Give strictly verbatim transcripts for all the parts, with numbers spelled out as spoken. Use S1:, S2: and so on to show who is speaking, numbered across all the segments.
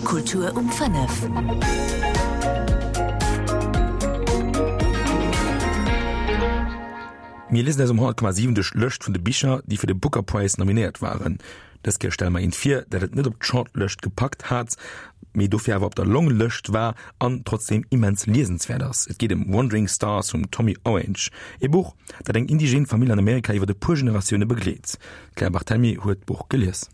S1: Kultur um fënnef.
S2: Mir liesen eis um honnert Komma siwen duerch d'Lëscht vun de Bicher, déi fir de Booker Prize nominéiert waren. Dës Kéier stelle mer eent vir, dat et net op d'Shortlëscht gepackt hat, mee dofir awer op der Longlëscht war an trotzdeem immens liesenswäert ass. Et geet ëm Wandering Stars vum Tommy Orange, ee Buch, dat eng indigen Famill an Amerika iwwer e puer Generatioune begleet. D'Claire Barthelmy huet d'Buch gelies.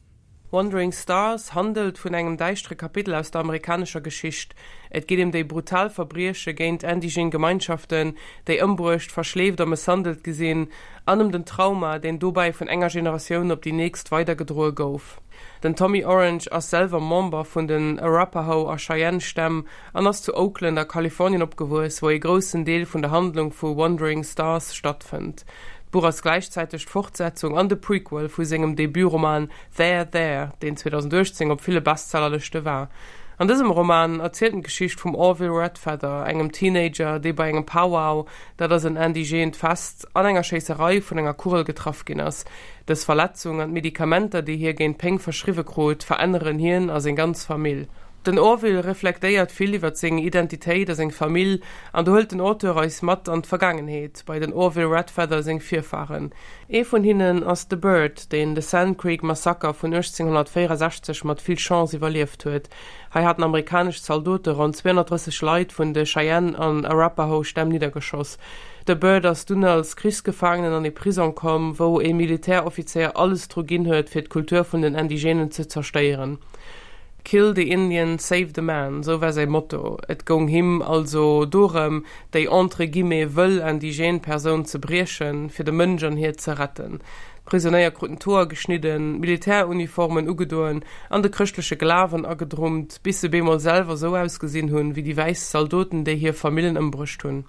S3: Wandering Stars handelt vun engem däischtere Kapitel aus der amerikanescher Geschicht. Et geet ëm déi brutal Verbrieche géint indigen Gemeinschaften, déi ëmbruecht, verschleeft a mësshandelt gi sinn, an ëm den Trauma, deen dobäi vun enger Generatioun op déi nächst weidergedroe gouf. Den Tommy Orange ass selwer Member vun den Arapaho a Cheyenne Stämm an ass zu Oakland a Kalifornien opgewuess, wou e groussen Deel vun der Handlung vu Wandering Stars stattfënnt. D'Buch ass gläichzäiteg d'Fortsetzung an de Prequel vu sengem Debutroman There There, deen zweedausenduechtzéng op ville Bestsellerlëschte war. An dësem Roman erzielt en d'Geschicht vum Orville Redfeather, engem Teenager, dee bei engem Powwow, dat ass en indigeent Fest, an enger Schéisserei vun enger Kugel getraff ginn ass. Dës Verletzung an d'Medikamenter, déi hie géint d'Péng verschriwwe krut, veränneren hien a seng ganz Famill. Den Orville reflektéiert vill iwwer seng Identitéit a seng Famill an do hëlt den Auteur eis mat an d'Vergaangenheet, bei den Orville Redfeather seng Virfaren. Ee vun hinnen ass de Bird, deen de Sand Creek Massaker vun uechtzénghonnertvéierensechzeg mat vill Chance iwwerlieft huet. Hei haten amerikanesch Zaldote ronn zweehonnertdrësseg Leit vun de Cheyenne an Arapaho Stämm niddergeschoss. De Bird ass dunn als Krichsgefaangenen an ee Prisong komm, wou ee Militäroffizéier alles dru ginn huet, fir d'Kultur vun den Indigenen ze zerstéieren. Kill the Indian, save the man, sou war säi Motto. Et goung him also dorëm, déi entre guillemets wëll indigène Persoun ze briechen, fir de Mënsch an hir ze retten. D'Prisonéier kruten d'Hoer geschnidden, Militäruniformen ugedoen an de chrëschtleche Glawen agedrummt, bis se bemol selwer sou ausgesinn hunn, wéi déi wäiss Zaldoten, déi hir Famillen ëmbruecht hunn.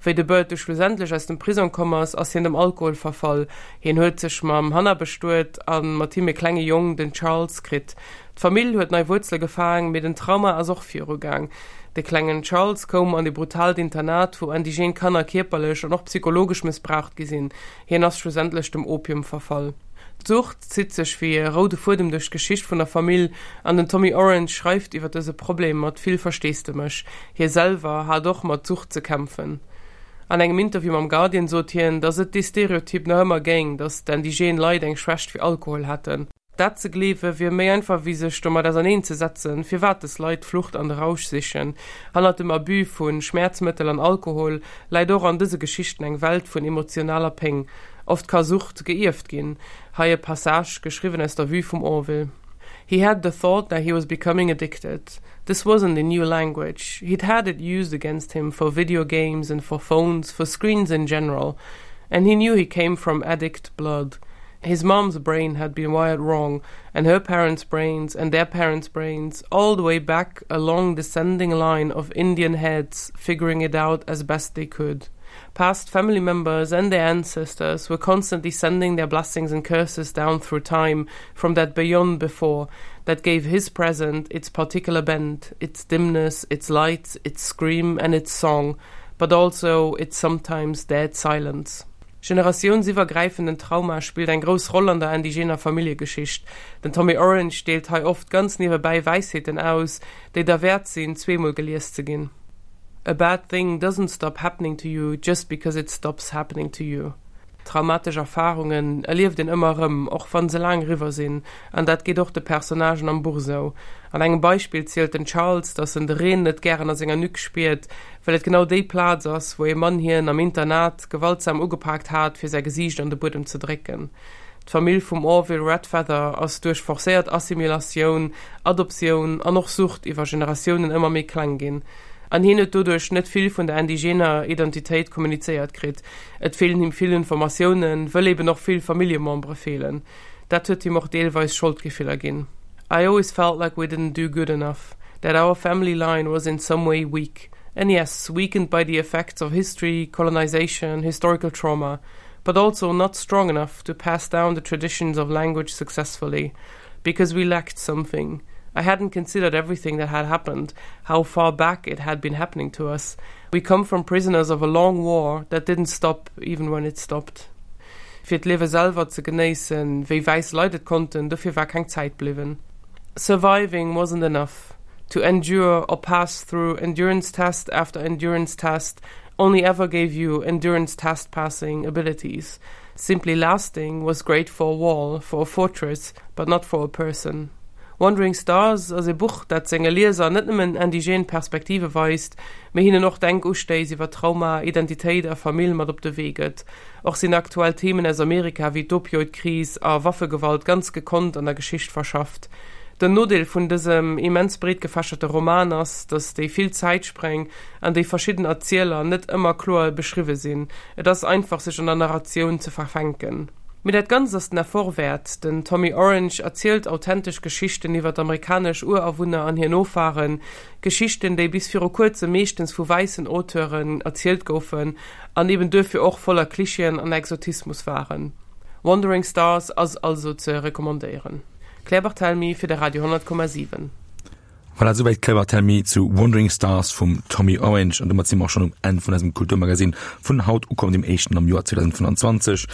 S3: Wéi de Bird du schlussendlech aus dem Prisong komm ass, ass hien dem Alkohol verfall. Hien huet sech mam Hannah bestuet a mat him e klenge Jong, den Charles, kritt. D'Famill huet nei Wuerzele gefaang, mee den Trauma ass och viru gaang. De klengen Charles koum an e brutaalt Internat, wou indigen Kanner kierperlech an och psychologesch mëssbraucht gi sinn. Hien ass schlussendlech dem Opium verfall. D'Sucht zitt sech wéi e roude Fuedem duerch d'Geschicht vun der Famill an den Tommy Orange schreift iwwer dëse Problem mat vill Versteesdemech. Hie selwer hat och mat Sucht ze kämpfen. An engem Interview mam Guardian sot hien, datt et dee Stereotyp nach ëmmer géing, datt d'indigène Leit eng Schwächt fir Alkohol hätten. Dat ze gleewe wier méi einfach wéi sech domat auserneen ze setzen, firwat dës Leit d'Flucht an de Rausch sichen. Hannert dem Abus vu Schmäerzmëttel an Alkohol läit och an dëse Geschichten eng Welt vun emotionaler Péng. Oft ka Sucht geierft ginn. Hei e Passage, geschriwwen aus der Vue vum Orville. He had the thought that he was becoming addicted. This wasn't a new language. He'd had it used against him for video games and for phones, for screens in general. And he knew he came from addict blood. His mom's brain had been wired wrong, and her parents' brains and their parents' brains, all the way back a long descending line of Indian heads figuring it out as best they could. Past family members and their ancestors were constantly sending their blessings and curses down through time from that beyond before that gave his present its particular bent, its dimness, its light, its scream and its song, but also its sometimes dead silence. Generatiounsiwwergräifenden Trauma spillt eng grouss Roll an der indigener Familljegeschicht. Den Tommy Orange deelt hei oft ganz niewebäi Wäisheeten aus, déi derwäert sinn, zweemol gelies ze ginn. A bad thing doesn't stop happening to you just because it stops happening to you. Traumatesch Erfarungen erlieft een ëmmer erëm, och wann se laang eriwwer sinn, an dat geet och de Personnagen am Buch esou. An engem Beispill zielt den Charles, dass en de Reen net gären a senger Nuque spiert, well et genau déi Plaz ass, wou ee Mann hien am Internat gewaltsam ugepaakt hat, fir säi Gesiicht an de Buedem ze drécken. D'Famill vum Orville Redfeather ass duerch forcéiert Assimilatioun, Adoptioun an och Sucht iwwer Generatiounen ëmmer méi kleng ginn. An hien huet doduerch net vill vun der indigener Identitéit kommunizéiert kritt. Et feelen him vill Informatiounen, wëll eben och vill Familljemembere feelen. Dat huet him och deelweis Scholdgefiller ginn. I always felt like we didn't do good enough, that our family line was in some way weak. And yes, weakened by the effects of history, colonization, historical trauma, but also not strong enough to pass down the traditions of language successfully, because we lacked something. I hadn't considered everything that had happened, how far back it had been happening to us. We come from prisoners of a long war that didn't stop even when it stopped. Fir d'Liewe selwer ze genéissen, wéi wäiss Leit et konnten, dofir war keng Zäit bliwwen. Surviving wasn't enough. To endure or pass through endurance test after endurance test only ever gave you endurance test passing abilities. Simply lasting was great for a wall, for a fortress, but not for a person. Wandering Stars ass e Buch, dat senge Lieser net nëmmen indigen Perspektive weist, mee hinnen och Denkustéiss iwwer Trauma, Identitéit a Famill mat op de Wee gëtt. Och sinn aktuell Themen aus Amerika wéi d'Opioidkris a Waffegewalt ganz gekonnt an der Geschicht verschafft. Den Nodeel vun dësem immens breet gefächerte Roman ass, datt déi vill Zäitspréng an déi verschidden Erzieler net ëmmer kloer beschriwwe sinn. Et ass einfach sech an der Narratioun ze verfänken. Mee dat Ganzt ass den Effort wäert. Den Tommy Orange erzielt authentesch Geschichten iwwer amerikanesch Urawunner an hir Nofahren, Geschichten, déi bis viru kuerzem meeschtens vu wäissen Auteuren erzielt goufen an eben duerfir och voller Klischeeën an Exotismus waren. Wandering Stars ass also ze recommandéieren. Claire Barthelmy fir de Radio honnert Komma siwen.
S2: Voilà, souwäit d'Claire Barthelmy zu Wandering Stars vum Tommy Orange. An domat si mer och schonn um Enn vun eisem Kulturmagazin vun haut ukomm, dem éischten am Joer zweedausendfënnanzwanzeg.